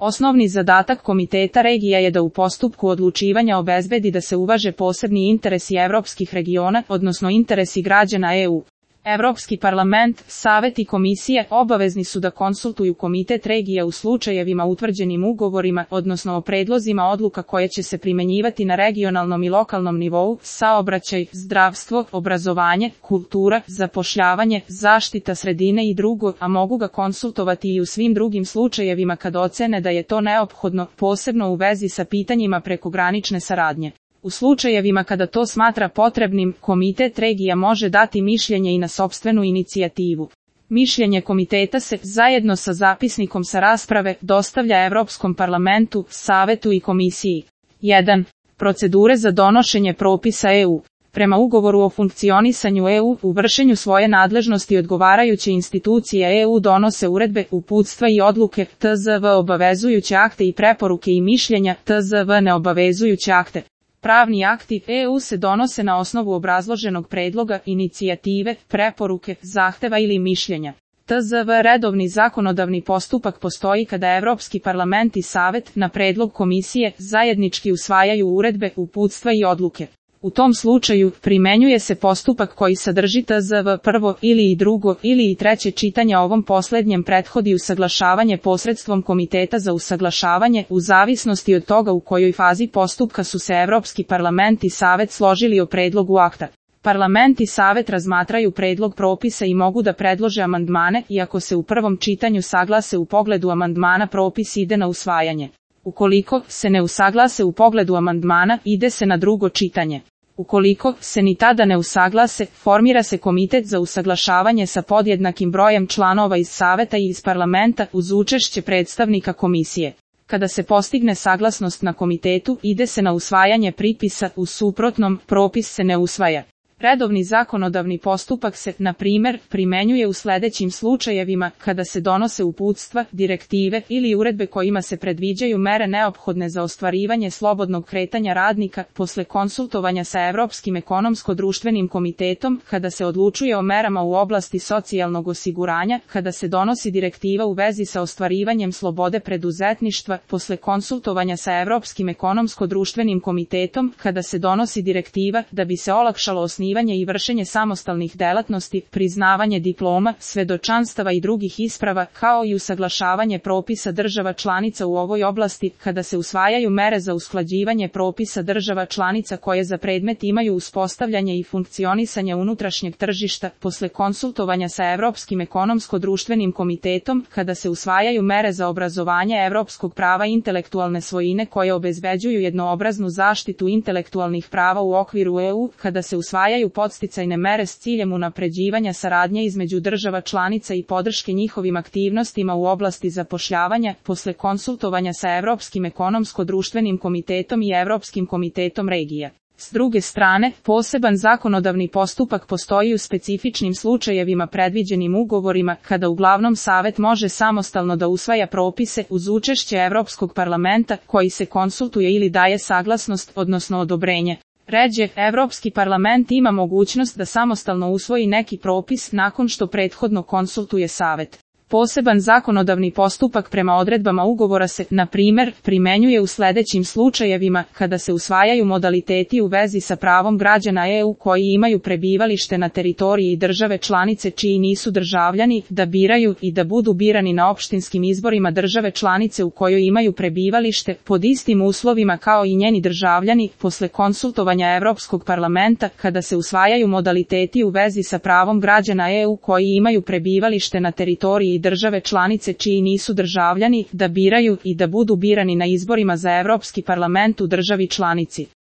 Osnovni zadatak Komiteta regija je da u postupku odlučivanja obezbedi da se uvaže posebni interesi evropskih regiona, odnosno interesi građana EU. Evropski parlament, Savet i Komisije obavezni su da konsultuju Komitet regija u slučajevima utvrđenim ugovorima, odnosno o predlozima odluka koje će se primenjivati na regionalnom i lokalnom nivou, saobraćaj, zdravstvo, obrazovanje, kultura, zapošljavanje, zaštita sredine i drugo, a mogu ga konsultovati i u svim drugim slučajevima kad ocene da je to neophodno, posebno u vezi sa pitanjima prekogranične saradnje. U slučajevima kada to smatra potrebnim, Komitet regija može dati mišljenje i na sopstvenu inicijativu. Mišljenje komiteta se, zajedno sa zapisnikom sa rasprave, dostavlja Evropskom parlamentu, Savetu i Komisiji. 1. Procedure za donošenje propisa EU. Prema ugovoru o funkcionisanju EU, u vršenju svoje nadležnosti odgovarajuće institucije EU donose uredbe, uputstva i odluke, TZV obavezujuće akte i preporuke i mišljenja, TZV neobavezujuće akte. Pravni akti EU se donose na osnovu obrazloženog predloga, inicijative, preporuke, zahteva ili mišljenja. TZV redovni zakonodavni postupak postoji kada Evropski parlament i Savet, na predlog Komisije, zajednički usvajaju uredbe, uputstva i odluke. U tom slučaju, primenjuje se postupak koji sadrži TZV prvo ili i drugo ili i treće čitanje, ovom poslednjem prethodi usaglašavanje posredstvom Komiteta za usaglašavanje, u zavisnosti od toga u kojoj fazi postupka su se Evropski parlament i Savet složili o predlogu akta. Parlament i Savet razmatraju predlog propisa i mogu da predlože amandmane, iako se u prvom čitanju saglase u pogledu amandmana, propis ide na usvajanje. Ukoliko se ne usaglase u pogledu amandmana, ide se na drugo čitanje. Ukoliko se ni tada ne usaglase, formira se komitet za usaglašavanje sa podjednakim brojem članova iz Saveta i iz Parlamenta uz učešće predstavnika Komisije. Kada se postigne saglasnost na komitetu, ide se na usvajanje pripisa, u suprotnom, propis se ne usvaja. Redovni zakonodavni postupak se, na primjer, primenjuje u sledećim slučajevima, kada se donose uputstva, direktive ili uredbe kojima se predviđaju mere neophodne za ostvarivanje slobodnog kretanja radnika, posle konsultovanja sa Evropskim ekonomsko-društvenim komitetom, kada se odlučuje o merama u oblasti socijalnog osiguranja, kada se donosi direktiva u vezi sa ostvarivanjem slobode preduzetništva, posle konsultovanja sa Evropskim ekonomsko-društvenim komitetom, kada se donosi direktiva da bi se olakšalo osnivanje i vršenje samostalnih delatnosti, priznavanje diploma, svedočanstava i drugih isprava, kao i usaglašavanje propisa država članica u ovoj oblasti, kada se usvajaju mere za usklađivanje propisa država članica koje za predmet imaju uspostavljanje i funkcionisanje unutrašnjeg tržišta, posle konsultovanja sa Evropskim ekonomsko-društvenim komitetom, kada se usvajaju mere za obrazovanje evropskog prava intelektualne svojine koje obezbeđuju jednoobraznu zaštitu intelektualnih prava u okviru EU, kada se usvajaju podsticajne mere s ciljem unapređivanja saradnje između država članica i podrške njihovim aktivnostima u oblasti zapošljavanja, posle konsultovanja sa Evropskim ekonomsko-društvenim komitetom i Evropskim komitetom regija. S druge strane, poseban zakonodavni postupak postoji u specifičnim slučajevima predviđenim ugovorima, kada uglavnom Savet može samostalno da usvaja propise uz učešće Evropskog parlamenta, koji se konsultuje ili daje saglasnost, odnosno odobrenje. Ređe, Evropski parlament ima mogućnost da samostalno usvoji neki propis nakon što prethodno konsultuje Savet. Poseban zakonodavni postupak prema odredbama ugovora se, na primjer, primenjuje u sledećim slučajevima, kada se usvajaju modaliteti u vezi sa pravom građana EU koji imaju prebivalište na teritoriji države članice čiji nisu državljani, da biraju i da budu birani na opštinskim izborima države članice u kojoj imaju prebivalište, pod istim uslovima kao i njeni državljani, posle konsultovanja Evropskog parlamenta, kada se usvajaju modaliteti u vezi sa pravom građana EU koji imaju prebivalište na teritoriji države članice čiji nisu državljani, da biraju i da budu birani na izborima za Evropski parlament u državi članici.